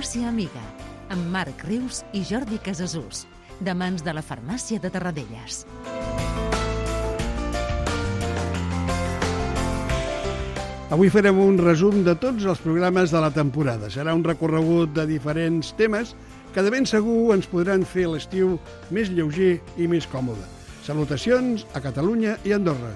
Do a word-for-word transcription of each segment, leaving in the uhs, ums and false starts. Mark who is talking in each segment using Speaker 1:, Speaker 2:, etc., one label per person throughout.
Speaker 1: Farmàcia Amiga, amb Marc Rius i Jordi Casasús, de mans de la Farmàcia de Tarradellas.
Speaker 2: Avui farem un resum de tots els programes de la temporada. Serà un recorregut de diferents temes que de ben segur ens podran fer l'estiu més lleuger i més còmode. Salutacions a Catalunya i Andorra.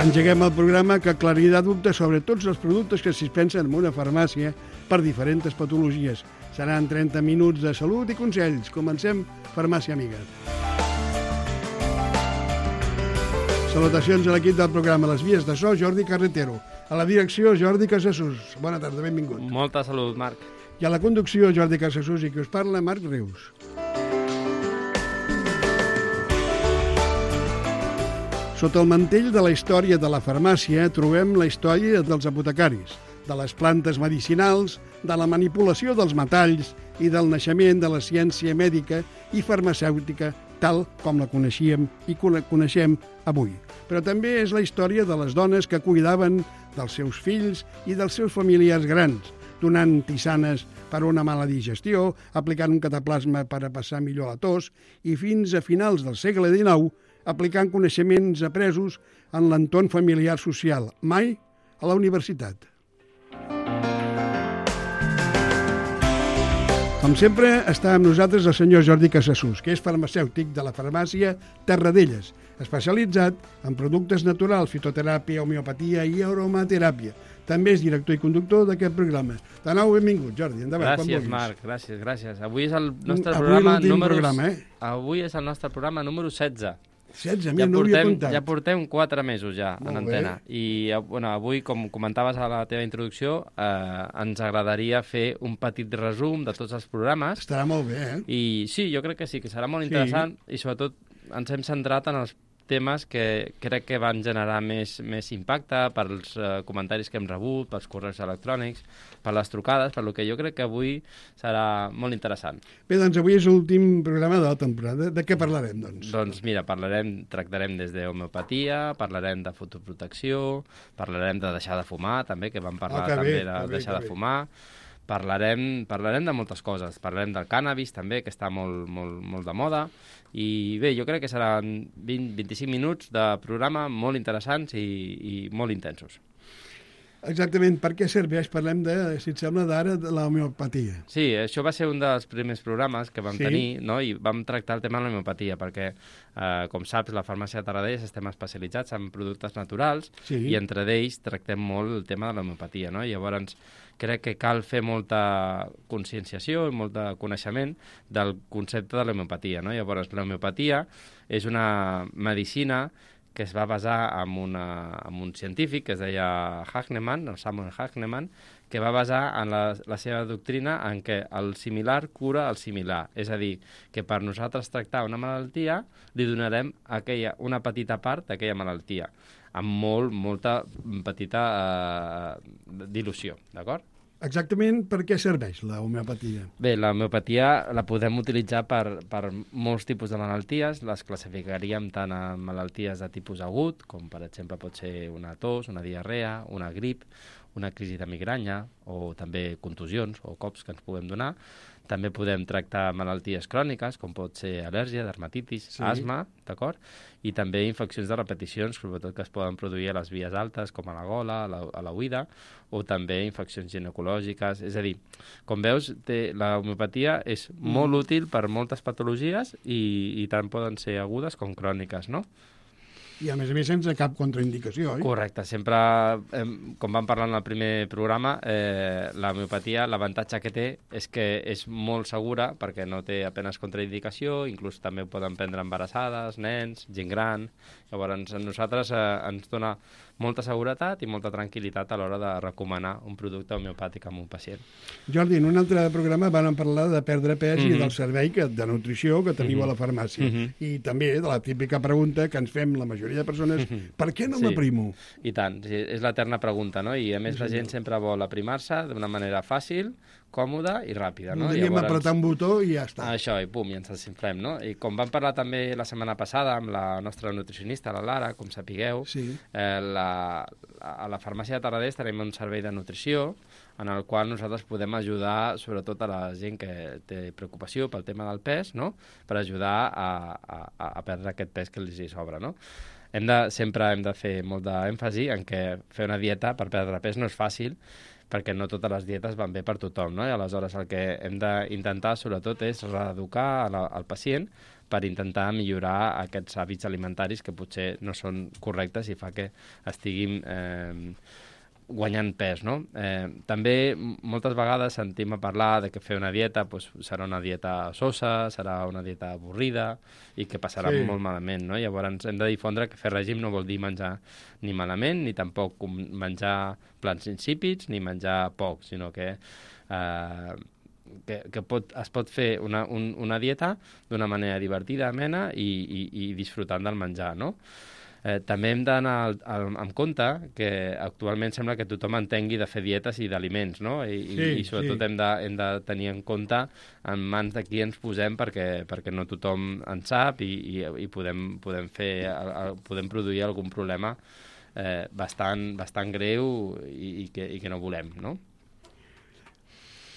Speaker 2: Engeguem el programa que aclarirà dubtes sobre tots els productes que es dispensen en una farmàcia per diferents patologies. Seran trenta minuts de salut i consells. Comencem Farmàcia Amiga. Salutacions a l'equip del programa. Les vies de so, Jordi Carretero. A la direcció, Jordi Casasús. Bona tarda, benvingut.
Speaker 3: Molta salut, Marc.
Speaker 2: I a la conducció, Jordi Casasús, i qui us parla, Marc Rius. Sota el mantell de la història de la farmàcia trobem la història dels apotecaris, de les plantes medicinals, de la manipulació dels metalls i del naixement de la ciència mèdica i farmacèutica tal com la coneixíem i coneixem avui. Però també és la història de les dones que cuidaven dels seus fills i dels seus familiars grans, donant tisanes per una mala digestió, aplicant un cataplasma per a passar millor la tos i fins a finals del segle dinou aplicant coneixements apresos en l'entorn familiar social, mai a la universitat. Com sempre, està amb nosaltres el senyor Jordi Casasús, que és farmacèutic de la farmàcia Tarradellas, especialitzat en productes naturals, fitoteràpia, homeopatia i aromateràpia. També és director i conductor d'aquest programa. De nou, benvingut, Jordi. Endavant,
Speaker 3: gràcies, Marc. Gràcies, gràcies. Avui és el nostre
Speaker 2: Avui
Speaker 3: programa número...
Speaker 2: programa, eh?
Speaker 3: Avui és el nostre programa número setze.
Speaker 2: setze,
Speaker 3: ja
Speaker 2: no havia comptat.
Speaker 3: Ja portem quatre mesos ja
Speaker 2: Molt
Speaker 3: en antena.
Speaker 2: bé.
Speaker 3: I bueno, avui, com comentaves a la teva introducció, eh, ens agradaria fer un petit resum de tots els programes.
Speaker 2: Estarà molt bé, eh?
Speaker 3: I sí, jo crec que sí, que serà molt
Speaker 2: Sí.
Speaker 3: interessant i sobretot ens hem centrat en els temes que crec que van generar més, més impacte pels eh, comentaris que hem rebut, pels correus electrònics, per les trucades, per lo que jo crec que avui serà molt interessant.
Speaker 2: Bé, doncs avui és l'últim programa de la temporada. De què parlarem, doncs?
Speaker 3: Doncs mira, parlarem, tractarem des d'homeopatia, parlarem de fotoprotecció, parlarem de deixar de fumar, també, que vam parlar
Speaker 2: Ah, que
Speaker 3: també
Speaker 2: bé,
Speaker 3: de
Speaker 2: que bé,
Speaker 3: deixar
Speaker 2: que
Speaker 3: de
Speaker 2: bé.
Speaker 3: fumar. Parlarem, parlarem de moltes coses. Parlarem del cànnabis, també, que està molt, molt, molt de moda. I bé, jo crec que seran vint a vint-i-cinc minuts de programa molt interessants i, i molt intensos.
Speaker 2: Exactament, per què serveix? Parlem, de, si et sembla, d'ara de la homeopatia.
Speaker 3: Sí, això va ser un dels primers programes que vam
Speaker 2: Sí.
Speaker 3: tenir, no? I vam tractar el tema de l'homeopatia, perquè, eh, com saps, la farmàcia de Tarradellas estem especialitzats en productes naturals
Speaker 2: Sí.
Speaker 3: i entre d'ells tractem molt el tema de l'homeopatia, no? Llavors, crec que cal fer molta conscienciació i molt de coneixement del concepte de l'homeopatia, no? Llavors, l'homeopatia és una medicina que es va basar en, una, en un científic que es deia Hahnemann, el Samuel Hahnemann, que va basar en la, la seva doctrina en què el similar cura el similar. És a dir, que per nosaltres tractar una malaltia li donarem aquella, una petita part d'aquella malaltia, amb molt, molta petita eh, dilució, d'acord?
Speaker 2: Exactament per què serveix la homeopatia?
Speaker 3: Bé, la homeopatia la podem utilitzar per, per molts tipus de malalties. Les classificaríem tant en malalties de tipus agut, com per exemple pot ser una tos, una diarrea, una grip, una crisi de migranya o també contusions o cops que ens puguem donar. També podem tractar malalties cròniques, com pot ser al·lèrgia, dermatitis,
Speaker 2: Sí.
Speaker 3: asma, d'acord? I també infeccions de repeticions, sobretot que es poden produir a les vies altes, com a la gola, a la, a la oïda, o també infeccions ginecològiques. És a dir, com veus, té, la homeopatia és
Speaker 2: Mm.
Speaker 3: molt útil per moltes patologies i, i tant poden ser agudes com cròniques, no?
Speaker 2: I a més a més sense cap contraindicació, oi?
Speaker 3: Correcte, sempre, eh, com vam parlar en el primer programa, eh, la homeopatia, l'avantatge que té és que és molt segura perquè no té apenas contraindicació, inclús també ho poden prendre embarassades, nens, gent gran. Llavors, a nosaltres eh, ens dona molta seguretat i molta tranquil·litat a l'hora de recomanar un producte homeopàtic a un pacient.
Speaker 2: Jordi, en un altre programa van parlar de perdre pes mm-hmm. i
Speaker 3: Mhm.
Speaker 2: del servei que, de nutrició que teniu
Speaker 3: Mhm.
Speaker 2: a la farmàcia.
Speaker 3: Mhm.
Speaker 2: I també de la típica pregunta que ens fem la majoria de persones,
Speaker 3: Mhm.
Speaker 2: per què no
Speaker 3: Sí.
Speaker 2: m'aprimo?
Speaker 3: I tant, sí, és l'eterna pregunta, no? I a més
Speaker 2: Sí,
Speaker 3: la
Speaker 2: senyor.
Speaker 3: gent sempre vol aprimar-se d'una manera fàcil, còmoda i ràpida, no?
Speaker 2: Voldríem
Speaker 3: Llavors,
Speaker 2: apretar un botó i ja està.
Speaker 3: Això, i pum, i ens desinflem, no? I com vam parlar també la setmana passada amb la nostra nutricionista, la Lara, com sapigueu,
Speaker 2: Sí.
Speaker 3: eh, la, a la farmàcia de Tarradés tenim un servei de nutrició en el qual nosaltres podem ajudar sobretot a la gent que té preocupació pel tema del pes, no? Per ajudar a, a, a perdre aquest pes que els hi sobra, no? Hem de, sempre hem de fer molt d'èmfasi en què fer una dieta per perdre pes no és fàcil, perquè no totes les dietes van bé per tothom, no? I aleshores el que hem d'intentar sobretot és reeducar al pacient per intentar millorar aquests hàbits alimentaris que potser no són correctes i fa que estiguin eh, guanyant pes, no? Eh, també moltes vegades sentim a parlar de que fer una dieta pues, serà una dieta sosa, serà una dieta avorrida i que passarà sí. molt malament, no? Llavors hem de difondre que fer règim no vol dir menjar ni malament, ni tampoc menjar plats insípids, ni menjar poc, sinó que, eh, que, que pot, es pot fer una, un, una dieta d'una manera divertida, amena i, i, i disfrutant del menjar, no? Eh, també hem d'anar amb compte que actualment sembla que tothom entengui de fer dietes i d'aliments, no? I, sí, i, i sobretot sí. hem, de, hem de tenir en compte en mans de qui ens posem perquè, perquè no tothom en sap i, i, i podem, podem, fer, podem produir algun problema eh, bastant, bastant greu i, i, que, i que no volem, no?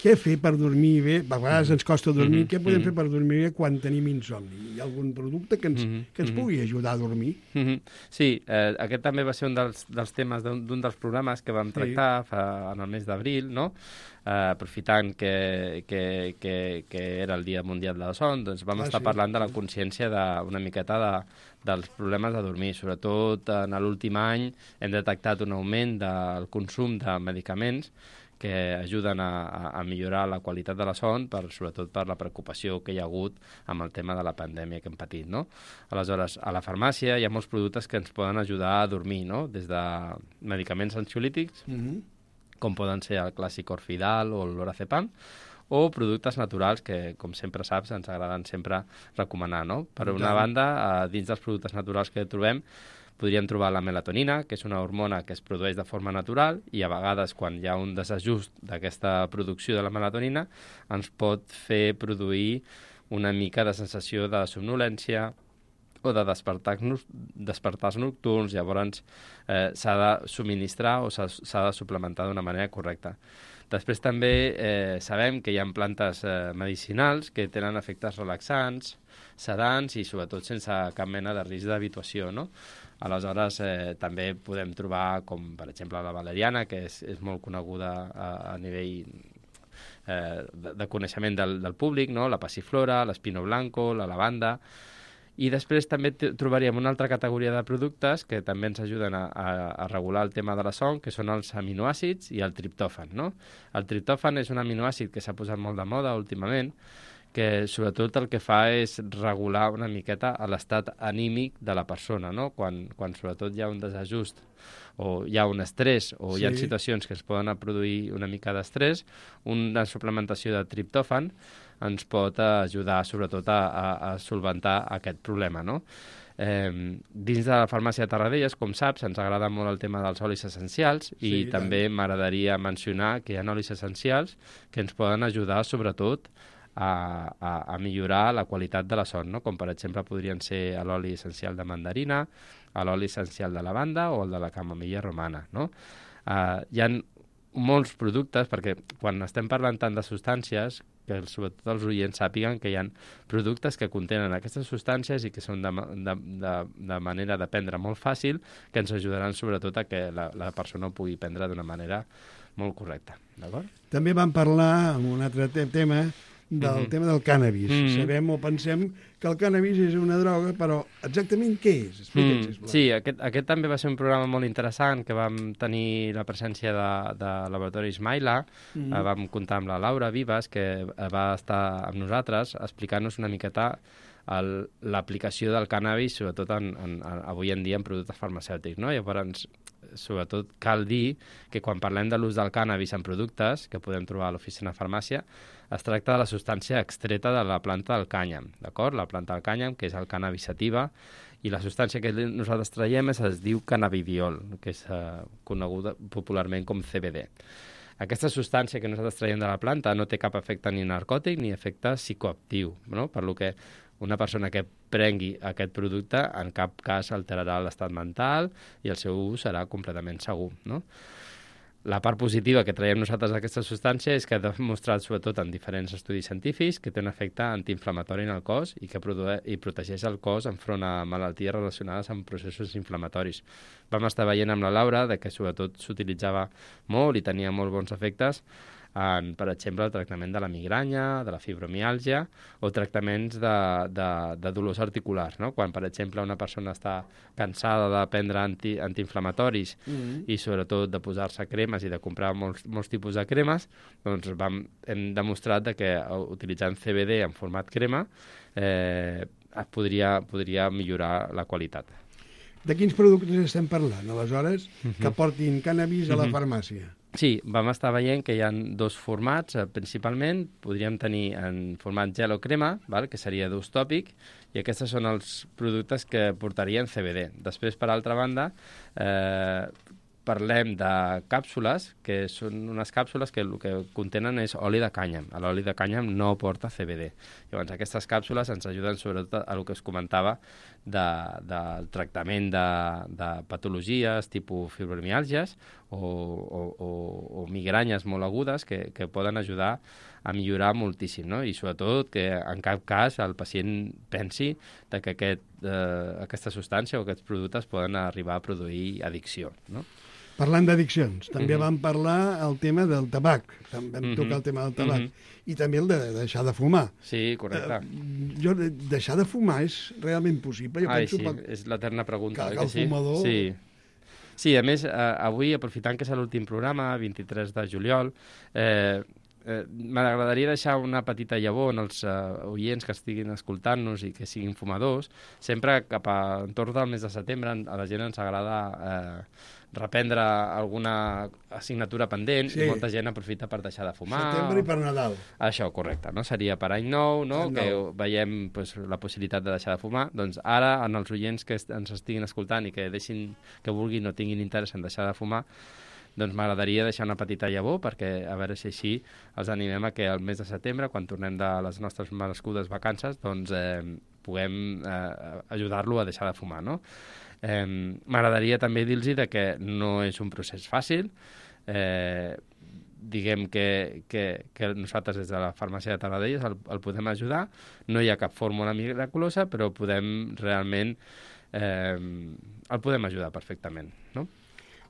Speaker 2: Què fer per dormir bé? A vegades ens costa dormir.
Speaker 3: Mm-hmm.
Speaker 2: Què podem
Speaker 3: mm-hmm.
Speaker 2: fer per dormir bé quan tenim insomni? Hi ha algun producte que ens, mm-hmm. que ens pugui ajudar a dormir?
Speaker 3: Mm-hmm. Sí, eh, aquest també va ser un dels, dels temes d'un dels programes que vam tractar sí. fa, en el mes d'abril, no? Eh, aprofitant que, que, que, que era el Dia Mundial de la Son, doncs vam ah, estar sí. parlant de la consciència de, una miqueta de, dels problemes de dormir. Sobretot en l'últim any hem detectat un augment del consum de medicaments que ajuden a, a millorar la qualitat de la son, per, sobretot per la preocupació que hi ha hagut amb el tema de la pandèmia que hem patit, no? Aleshores, a la farmàcia hi ha molts productes que ens poden ajudar a dormir, no? Des de medicaments ansiolítics, mm-hmm. com poden ser el clàssic Orfidal o l'Orazepam, o productes naturals que, com sempre saps, ens agraden sempre recomanar, no? Per una banda, eh, dins dels productes naturals que trobem, podríem trobar la melatonina, que és una hormona que es produeix de forma natural i a vegades quan hi ha un desajust d'aquesta producció de la melatonina ens pot fer produir una mica de sensació de somnolència o de despertars, despertars nocturns, llavors eh, s'ha de subministrar o s'ha de suplementar d'una manera correcta. Després també eh, sabem que hi ha plantes eh, medicinals que tenen efectes relaxants, sedants i sobretot sense cap mena de risc d'habituació, no? Aleshores, eh, també podem trobar, com per exemple la valeriana, que és, és molt coneguda a, a nivell eh, de, de coneixement del, del públic, no? La passiflora, l'espino blanco, la lavanda. I després també trobaríem una altra categoria de productes que també ens ajuden a, a, a regular el tema de la son, que són els aminoàcids i el triptòfan, no? El triptòfan és un aminoàcid que s'ha posat molt de moda últimament, que sobretot el que fa és regular una miqueta l'estat anímic de la persona, no? Quan, quan sobretot hi ha un desajust o hi ha un estrès o sí. hi ha situacions que es poden produir una mica d'estrès, una suplementació de triptòfan ens pot ajudar sobretot a, a, a solventar aquest problema, no? Eh, dins de la farmàcia de Tarradellas, com saps, ens agrada molt el tema dels olis essencials i sí, també m'agradaria mencionar que hi ha olis essencials que ens poden ajudar sobretot A, a, a millorar la qualitat de la son, no? Com per exemple podrien ser l'oli essencial de mandarina, l'oli essencial de lavanda o el de la camamilla romana, no? Uh, hi ha molts productes, perquè quan estem parlant tant de substàncies, que sobretot els oients sàpiguen que hi ha productes que contenen aquestes substàncies i que són de, de, de, de manera de prendre molt fàcil, que ens ajudaran sobretot a que la, la persona ho pugui prendre d'una manera molt correcta, d'acord?
Speaker 2: També vam parlar en un altre te tema del mm-hmm. tema del cànnabis. Mm-hmm. Sabem o pensem que el cànnabis és una droga, però exactament què és? Explica'ns, sisplau.
Speaker 3: Mm, sí, aquest, aquest també va ser un programa molt interessant que vam tenir la presència de, de Laboratoris Maila. Mm-hmm. eh, vam comptar amb la Laura Vives, que va estar amb nosaltres explicant-nos una miqueta l'aplicació del cànnabis, sobretot en, en, en, avui en dia en productes farmacèutics, no? Llavors, sobretot cal dir que quan parlem de l'ús del cànnabis en productes que podem trobar a l'oficina de farmàcia, es tracta de la substància extreta de la planta del cànyam, d'acord? La planta del cànyam, que és el cannabis sativa, i la substància que nosaltres traiem es, es diu cannabidiol, que és eh, coneguda popularment com C B D. Aquesta substància que nosaltres traiem de la planta no té cap efecte ni narcòtic ni efecte psicoactiu, no? Per lo que una persona que prengui aquest producte en cap cas alterarà l'estat mental i el seu ús serà completament segur, no? La part positiva que traiem nosaltres d'aquesta substància és que ha demostrat, sobretot en diferents estudis científics, que té un efecte antiinflamatori en el cos i que produe, i protegeix el cos enfront a malalties relacionades amb processos inflamatoris. Vam estar veient amb la Laura de que sobretot s'utilitzava molt i tenia molt bons efectes en, per exemple, el tractament de la migranya, de la fibromiàlgia o tractaments de, de, de dolors articulars, no? Quan, per exemple, una persona està cansada de prendre anti, antiinflamatoris mm-hmm. i sobretot de posar-se cremes i de comprar molts, molts tipus de cremes, doncs vam, hem demostrat de que utilitzant C B D en format crema eh, podria, podria millorar la qualitat.
Speaker 2: De quins productes estem parlant, aleshores, mm-hmm. que portin cannabis a la farmàcia?
Speaker 3: Sí, vam estar veient que hi ha dos formats, eh, principalment. Podríem tenir en format gel o crema, val? Que seria d'ús tòpic, i aquests són els productes que portarien C B D. Després, per altra banda, eh, parlem de càpsules, que són unes càpsules que el que contenen és oli de cànyam. L'oli de cànyam no porta C B D. Llavors, aquestes càpsules ens ajuden sobretot a el que us comentava de, del tractament de, de patologies tipus fibromiàlgies o, o, o, o migranyes molt agudes que, que poden ajudar a millorar moltíssim, no? I sobretot que en cap cas el pacient pensi de que aquest, eh, aquesta substància o aquests productes poden arribar a produir addicció, no?
Speaker 2: Parlant d'addiccions, també
Speaker 3: Mm-hmm.
Speaker 2: vam parlar el tema del tabac, vam
Speaker 3: Mm-hmm.
Speaker 2: tocar el tema del tabac,
Speaker 3: Mm-hmm.
Speaker 2: i també el de deixar de fumar.
Speaker 3: Sí, correcte.
Speaker 2: Uh, jo, deixar de fumar és realment possible? Jo
Speaker 3: Ai,
Speaker 2: penso
Speaker 3: sí,
Speaker 2: que,
Speaker 3: és l'eterna pregunta.
Speaker 2: que,
Speaker 3: Que,
Speaker 2: que el
Speaker 3: sí?
Speaker 2: fumador...
Speaker 3: Sí. Sí, a més, eh, avui, aprofitant que és l'últim programa, vint-i-tres de juliol, eh, eh, m'agradaria deixar una petita llavor en els eh, oients que estiguin escoltant-nos i que siguin fumadors. Sempre cap a entorn del mes de setembre a la gent ens agrada eh, reprendre alguna assignatura pendent sí. i molta gent aprofita per deixar de fumar.
Speaker 2: Setembre i per Nadal.
Speaker 3: Això, correcte, no? Seria per any nou, no?
Speaker 2: Any
Speaker 3: Que
Speaker 2: nou.
Speaker 3: veiem pues, la possibilitat de deixar de fumar. Doncs ara, en els oients que est ens estiguin escoltant i que deixin, que vulguin o tinguin interès en deixar de fumar, doncs m'agradaria deixar una petita llavor perquè a veure si així els animem a que el mes de setembre, quan tornem de les nostres merescudes vacances, doncs eh, puguem eh, ajudar-lo a deixar de fumar, no? Eh, m'agradaria també dir-los de que no és un procés fàcil. Eh, diguem que, que, que nosaltres des de la farmàcia de Tarradellas el, el podem ajudar. No hi ha cap fórmula miraculosa, però podem realment eh, el podem ajudar perfectament, no?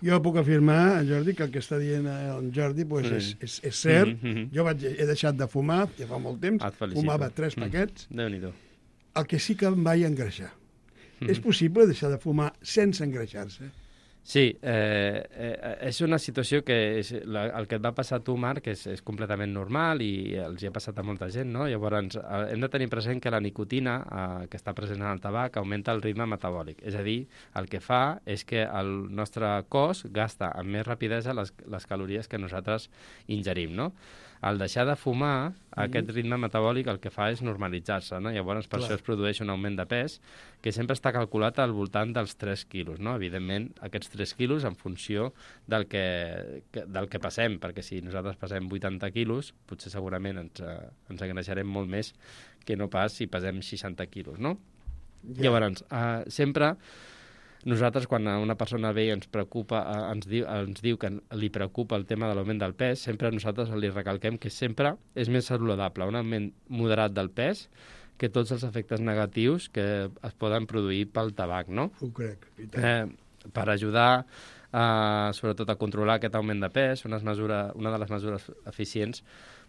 Speaker 2: Jo puc afirmar, Jordi, que el que està dient el Jordi pues,
Speaker 3: Mm.
Speaker 2: és, és, és cert.
Speaker 3: Mm -hmm.
Speaker 2: Jo vaig, he deixat de fumar, ja fa molt temps,
Speaker 3: Et felicito.
Speaker 2: fumava tres paquets.
Speaker 3: Mm. Déu-n'hi-do.
Speaker 2: El que sí que em vaig engreixar.
Speaker 3: Mm.
Speaker 2: És possible deixar de fumar sense engreixar-se?
Speaker 3: Sí, eh, eh, és una situació que és, la, el que et va passar a tu, Marc, és, és completament normal i els hi ha passat a molta gent, no? Llavors, eh, hem de tenir present que la nicotina, eh, que està present en el tabac, augmenta el ritme metabòlic. És a dir, el que fa és que el nostre cos gasta amb més rapidesa les, les calories que nosaltres ingerim, no? Al deixar de fumar, mm. aquest ritme metabòlic el que fa és normalitzar-se, no? Llavors, per
Speaker 2: Clar.
Speaker 3: això es produeix un augment de pes que sempre està calculat al voltant dels tres quilos, no? Evidentment, aquests tres quilos en funció del que, que, del que passem, perquè si nosaltres passem vuitanta quilos, potser segurament ens, eh, ens engreixarem molt més que no pas si pesem seixanta quilos, no?
Speaker 2: Ja.
Speaker 3: Llavors, eh, sempre nosaltres, quan una persona ve i ens preocupa, eh, ens, diu, ens diu que li preocupa el tema de l'augment del pes, sempre nosaltres li recalquem que sempre és més saludable un augment moderat del pes que tots els efectes negatius que es poden produir pel tabac, no?
Speaker 2: Ho crec. I tant.
Speaker 3: Eh, per ajudar, eh, sobretot, a controlar aquest augment de pes, una, mesura, una de les mesures eficients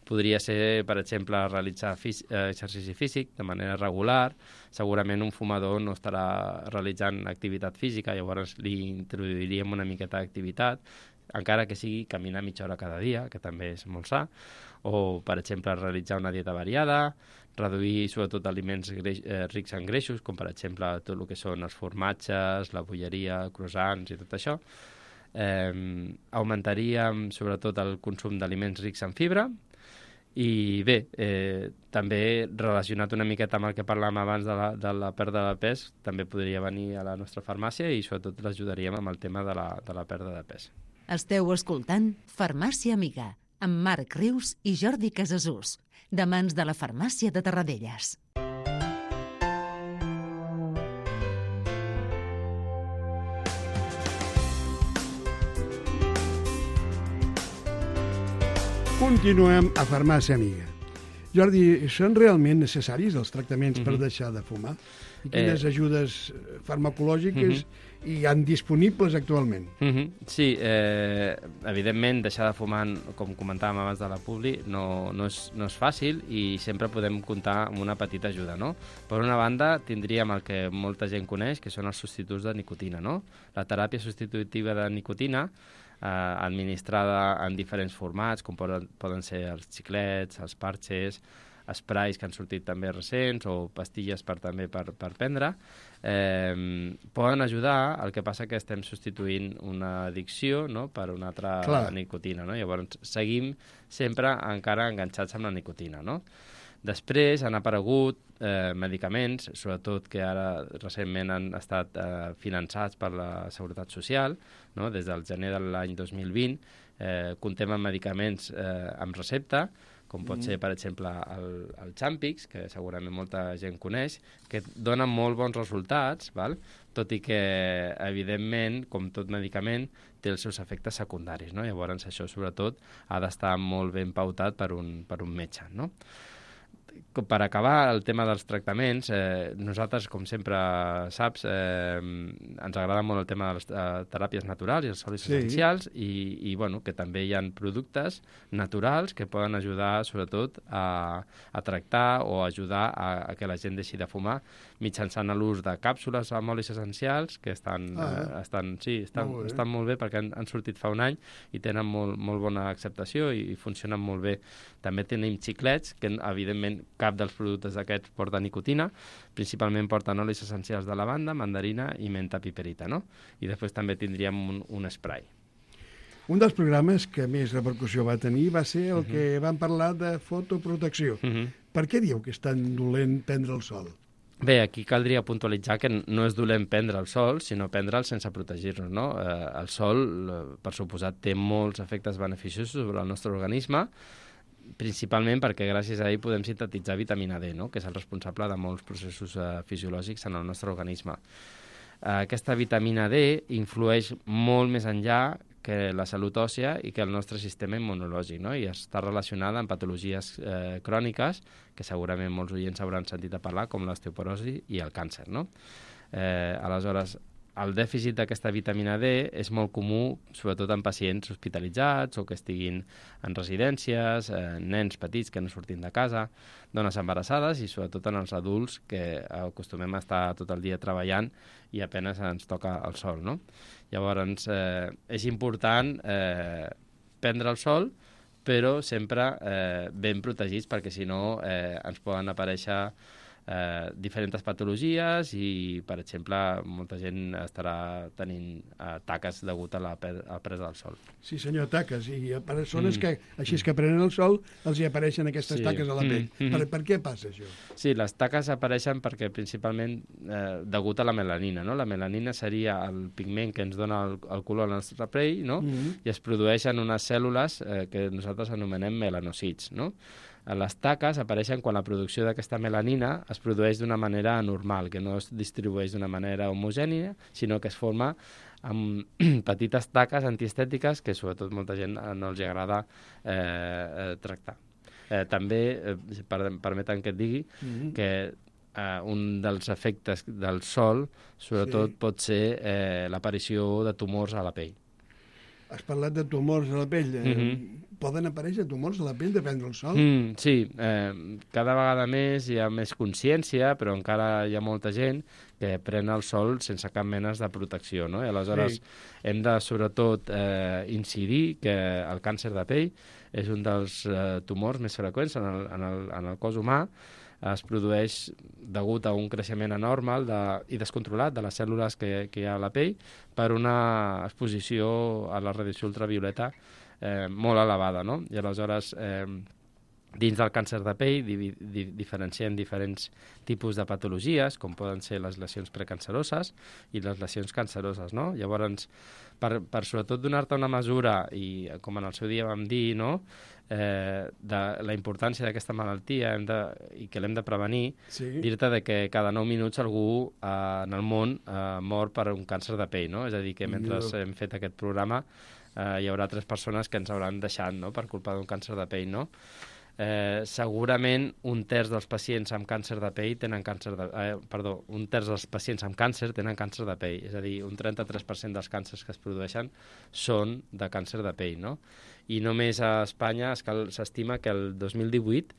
Speaker 3: podria ser, per exemple, realitzar fí eh, exercici físic de manera regular. Segurament un fumador no estarà realitzant activitat física, llavors li introduiríem una miqueta d'activitat, encara que sigui caminar mitja hora cada dia, que també és molt sa, o, per exemple, realitzar una dieta variada, reduir sobretot aliments greix, eh, rics en greixos, com per exemple tot el que són els formatges, la bolleria, croissants i tot això. Eh, augmentaríem sobretot el consum d'aliments rics en fibra, i bé, eh, també relacionat una miqueta amb el que parlàvem abans de la, de la pèrdua de pes, també podria venir a la nostra farmàcia i sobretot l'ajudaríem amb el tema de la, de la pèrdua de pes.
Speaker 1: Esteu escoltant Farmàcia Amiga, amb Marc Rius i Jordi Casasús, de mans de la Farmàcia de Terradellas.
Speaker 2: Continuem a Farmàcia Amiga. Jordi, són realment necessaris els tractaments mm-hmm. per deixar de fumar? I quines eh... ajudes farmacològiques mm-hmm. hi han disponibles actualment?
Speaker 3: Mm-hmm. Sí, eh, evidentment deixar de fumar, com comentàvem abans de la publi, no, no, és, no és fàcil i sempre podem comptar amb una petita ajuda, no? Per una banda, tindríem el que molta gent coneix, que són els substituts de nicotina, no? La teràpia substitutiva de nicotina, eh, administrada en diferents formats, com poden, poden ser els xiclets, els parxes, esprais que han sortit també recents o pastilles per, també per, per prendre, eh, poden ajudar. El que passa que estem substituint una addicció, no?, per una altra Clar. nicotina, no? Llavors seguim sempre encara enganxats amb la nicotina, no? Després han aparegut eh, medicaments, sobretot que ara recentment han estat eh, finançats per la Seguretat Social, no? Des del gener de l'any dos mil vint eh, comptem amb medicaments eh, amb recepta, com pot ser, per exemple, el, el Champix, que segurament molta gent coneix, que donen molt bons resultats, val? Tot i que, evidentment, com tot medicament, té els seus efectes secundaris, no? Llavors, això, sobretot, ha d'estar molt ben pautat per un, per un metge, no? Per acabar el tema dels tractaments, eh, nosaltres, com sempre saps, eh, ens agrada molt el tema de les eh, teràpies naturals i els olis sí. essencials i, i bueno, que també hi ha productes naturals que poden ajudar sobretot a, a tractar o ajudar a, a que la gent deixi de fumar mitjançant l'ús de càpsules amb olis essencials que estan, ah, eh, estan, sí, estan, molt estan molt bé perquè han, han sortit fa un any i tenen molt, molt bona acceptació i, i funcionen molt bé. També tenim xiclets que evidentment cap dels productes d'aquests porta nicotina, principalment porten olis essencials de lavanda, mandarina i menta piperita, no? I després també tindríem un, un spray.
Speaker 2: Un dels programes que més repercussió va tenir va ser el uh-huh. que vam parlar de fotoprotecció. Uh-huh. Per què diu que és tan dolent prendre el sol?
Speaker 3: Bé, aquí caldria puntualitzar que no és dolent prendre el sol, sinó prendre'l sense protegir-nos, no? Eh, el sol, per suposat, té molts efectes beneficiosos sobre el nostre organisme, principalment perquè gràcies a ell podem sintetitzar vitamina D, no?, que és el responsable de molts processos eh, fisiològics en el nostre organisme. Eh, aquesta vitamina D influeix molt més enllà que la salut òssea i que el nostre sistema immunològic, no?, i està relacionada amb patologies eh, cròniques que segurament molts oients hauran sentit a parlar, com l'osteoporosi i el càncer, no? Eh, aleshores, el dèficit d'aquesta vitamina D és molt comú, sobretot en pacients hospitalitzats o que estiguin en residències, eh, nens petits que no surtin de casa, dones embarassades i sobretot en els adults que acostumem a estar tot el dia treballant i apenes ens toca el sol, no? Llavors, eh, és important eh, prendre el sol, però sempre eh, ben protegits perquè si no eh, ens poden aparèixer Eh, diferents patologies i, per exemple, molta gent estarà tenint eh, taques degut a la, a la presa del sol. Sí,
Speaker 2: senyor, taques. I a persones mm. que, així que prenen el sol, els hi apareixen aquestes sí. taques a la pell. Mm. Per, per què passa això?
Speaker 3: Sí, les taques apareixen perquè principalment eh, degut a la melanina, no? La melanina seria el pigment que ens dona el, el color al nostre pell, no? Mm. I es produeixen unes cèl·lules eh, que nosaltres anomenem melanòcits, no? Les taques apareixen quan la producció d'aquesta melanina es produeix d'una manera anormal, que no es distribueix d'una manera homogènia, sinó que es forma amb petites taques antiestètiques que sobretot molta gent no els agrada eh, eh, tractar. Eh, també, eh, per, permeten que et digui, mm-hmm. que eh, un dels efectes del sol sobretot sí. pot ser eh, l'aparició de tumors a la pell.
Speaker 2: Has parlat de tumors a la pell. Mm-hmm. Poden aparèixer tumors a la pell de prendre el sol?
Speaker 3: Mm, sí, eh, cada vegada més hi ha més consciència, però encara hi ha molta gent que pren el sol sense cap mena de protecció, no? I aleshores sí. hem de, sobretot, eh, incidir que el càncer de pell és un dels eh, tumors més freqüents en el, en el, en el cos humà. Es produeix degut a un creixement anormal de, i descontrolat de les cèl·lules que, que hi ha a la pell per una exposició a la radiació ultravioleta eh, molt elevada, no? I aleshores eh, Dins del càncer de pell di di diferenciem diferents tipus de patologies, com poden ser les lesions precanceroses i les lesions canceroses, no? Llavors, per, per sobretot donar-te una mesura, i com en el seu dia vam dir, no?, eh, de la importància d'aquesta malaltia hem de, i que l'hem de prevenir, sí. dir-te de que cada nou minuts algú eh, en el món eh, mor per un càncer de pell, no? És a dir, que mentre no. hem fet aquest programa eh, hi haurà tres persones que ens hauran deixat, no?, per culpa d'un càncer de pell, no? Eh, segurament un terç dels pacients amb càncer de pell tenen càncer de... Eh, perdó, un terç dels pacients amb càncer tenen càncer de pell, és a dir, un trenta-tres per cent dels càncers que es produeixen són de càncer de pell, no? I només a Espanya s'estima que el dos mil divuit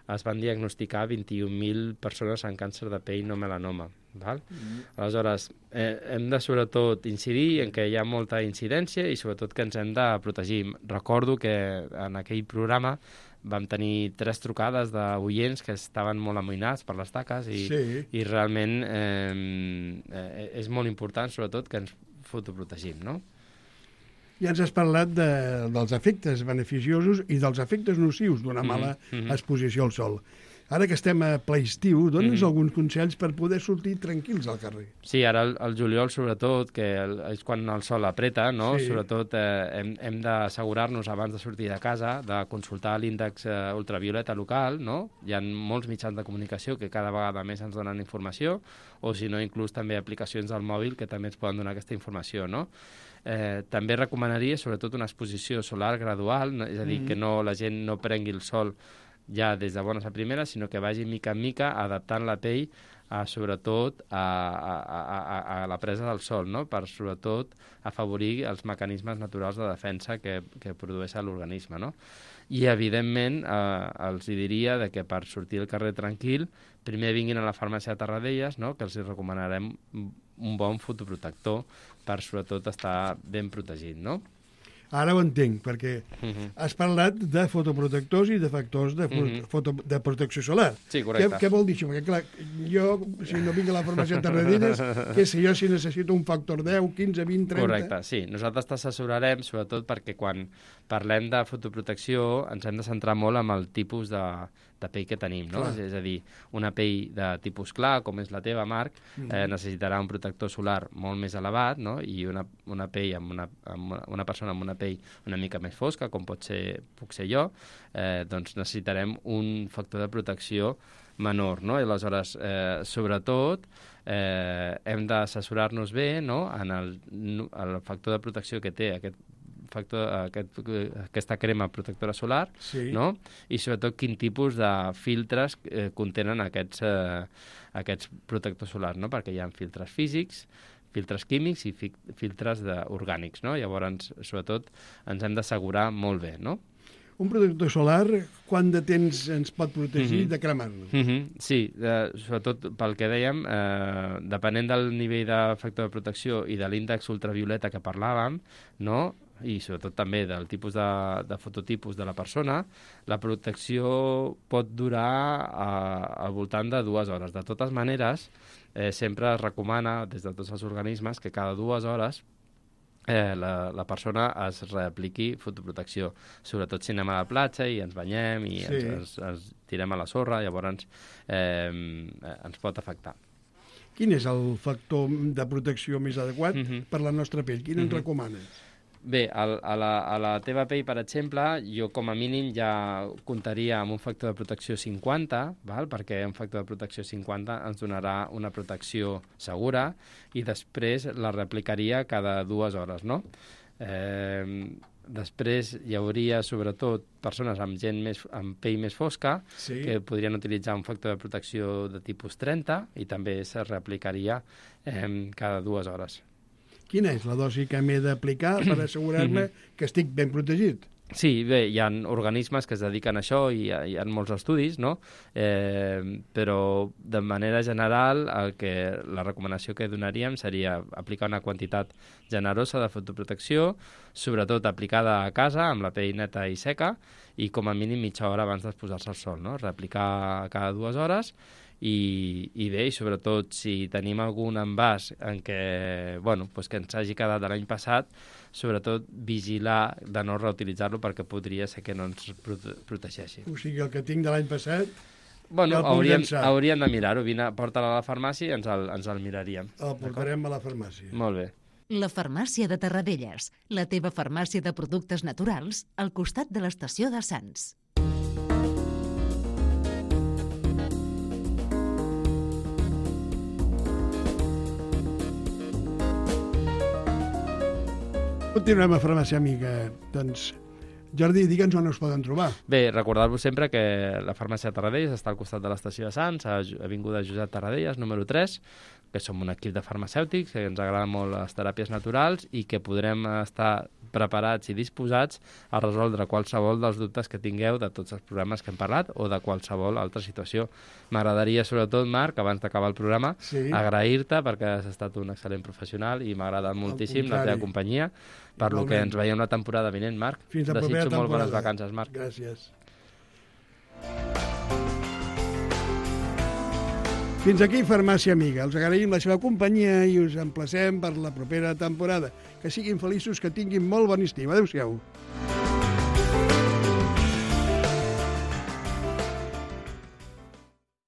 Speaker 3: es van diagnosticar vint-i-un mil persones amb càncer de pell no melanoma. Val? Mm. Aleshores, eh, hem de sobretot incidir en que hi ha molta incidència i sobretot que ens hem de protegir. Recordo que en aquell programa vam tenir tres trucades d'oients que estaven molt amoïnats per les taques i, sí. i realment eh, eh, és molt important, sobretot, que ens fotoprotegim, no?
Speaker 2: Ja ens has parlat de, dels efectes beneficiosos i dels efectes nocius d'una mala mm-hmm. exposició al sol. Ara que estem a ple estiu, dona'ns mm-hmm. alguns consells per poder sortir tranquils al carrer.
Speaker 3: Sí, ara el, el juliol, sobretot, que el, és quan el sol apreta, no? Sí. Sobretot eh, hem, hem d'assegurar-nos abans de sortir de casa de consultar l'índex eh, ultravioleta local, no? Hi ha molts mitjans de comunicació que cada vegada més ens donen informació, o si no, inclús també aplicacions al mòbil que també ens poden donar aquesta informació, no? Eh, també recomanaria, sobretot, una exposició solar gradual, no? És a dir, mm. que no, la gent no prengui el sol ja des de bones a primeres, sinó que vagi mica en mica adaptant la pell a, sobretot a, a, a, a la presa del sol, no? Per sobretot afavorir els mecanismes naturals de defensa que, que produeix l'organisme, no? I evidentment eh, els diria de que per sortir al carrer tranquil primer vinguin a la farmàcia de Terradellas, no? Que els recomanarem un bon fotoprotector per sobretot estar ben protegit, no?
Speaker 2: Ara ho entenc, perquè uh-huh. has parlat de fotoprotectors i de factors de, uh-huh. foto, de protecció solar.
Speaker 3: Sí, correcte.
Speaker 2: Què, què vol dir això? Perquè, clar, jo, si no vinc a la farmàcia de Terradellas, què sé jo si necessito un factor deu, quinze, vint, trenta...
Speaker 3: Correcte, sí. Nosaltres t'assessorarem, sobretot perquè quan parlem de fotoprotecció ens hem de centrar molt en el tipus de, de pell que tenim, no? És, és a dir, una pell de tipus clar, com és la teva, Marc, mm-hmm. eh, necessitarà un protector solar molt més elevat, no? I una, una pell amb una, amb una persona amb una pell una mica més fosca, com pot ser, puc ser jo, eh, doncs necessitarem un factor de protecció menor, no? I aleshores, eh, sobretot, eh, hem d'assessorar-nos bé, no?, en el, el factor de protecció que té aquest factor, aquest, aquesta crema protectora solar, sí. no? I sobretot quin tipus de filtres eh, contenen aquests, eh, aquests protectors solars, no? Perquè hi ha filtres físics, filtres químics i fi filtres de, orgànics, no? Llavors, sobretot, ens hem d'assegurar molt bé, no?
Speaker 2: Un protector solar, quant de temps ens pot protegir mm-hmm. de cremar-nos?
Speaker 3: Mm-hmm. Sí, eh, sobretot pel que dèiem, eh, depenent del nivell de factor de protecció i de l'índex ultravioleta que parlàvem, no?, i sobretot també del tipus de, de fototipus de la persona, la protecció pot durar a, al voltant de dues hores. De totes maneres, eh, sempre es recomana des de tots els organismes que cada dues hores eh, la, la persona es reapliqui fotoprotecció. Sobretot si anem a la platja i ens banyem i sí. ens, ens, ens tirem a la sorra, llavors eh, ens pot afectar.
Speaker 2: Quin és el factor de protecció més adequat mm-hmm. per la nostra pell? Quin mm-hmm. ens recomanes?
Speaker 3: Bé, a la, a la teva pell, per exemple, jo com a mínim ja comptaria amb un factor de protecció cinquanta, val? Perquè un factor de protecció cinquanta ens donarà una protecció segura i després la reaplicaria cada dues hores, no? Eh, després hi hauria, sobretot, persones amb gent més, amb pell més fosca sí. que podrien utilitzar un factor de protecció de tipus trenta i també se reaplicaria eh, cada dues hores.
Speaker 2: Quina és la dosi que m'he d'aplicar per assegurar-me que estic ben protegit?
Speaker 3: Sí, bé, hi ha organismes que es dediquen a això i hi ha, hi ha molts estudis, no? Eh, però de manera general el que, la recomanació que donaríem seria aplicar una quantitat generosa de fotoprotecció, sobretot aplicada a casa amb la pell neta i seca i com a mínim mitja hora abans d'exposar-se al sol, no? Reaplicar cada dues hores I, i bé, i sobretot si tenim algun envàs en què, bueno, pues que ens hagi quedat de l'any passat, sobretot vigilar de no reutilitzar-lo perquè podria ser que no ens prote protegeixi.
Speaker 2: O sigui, el que tinc de l'any passat...
Speaker 3: Bueno,
Speaker 2: ja
Speaker 3: hauríem, hauríem de mirar-ho. Vine, porta-la a la farmàcia i ens el, ens el miraríem.
Speaker 2: El portarem a la farmàcia.
Speaker 3: Molt bé.
Speaker 1: La farmàcia de Terradellas, la teva farmàcia de productes naturals, al costat de l'estació de Sants.
Speaker 2: Continuem a Farmàcia Amiga. Doncs, Jordi, digue'ns on us poden trobar.
Speaker 3: Bé, recordar-vos sempre que la farmàcia de Terradellas està al costat de l'estació de Sants, a Avinguda Josep Terradellas, número tres, que som un equip de farmacèutics, que ens agraden molt les teràpies naturals i que podrem estar preparats i disposats a resoldre qualsevol dels dubtes que tingueu de tots els programes que hem parlat o de qualsevol altra situació. M'agradaria, sobretot, Marc, abans d'acabar el programa, sí. agrair-te perquè has estat un excel·lent professional i m'ha agradat moltíssim la teva companyia, per lo que ens veiem la temporada vinent, Marc.
Speaker 2: Fins la propera
Speaker 3: temporada. Desitjo molt bones vacances, Marc.
Speaker 2: Gràcies. Fins aquí Farmàcia Amiga. Els agraïm la seva companyia i us emplacem per la propera temporada. Que siguin feliços, que tinguin molt bon estiu. Adéu-siau.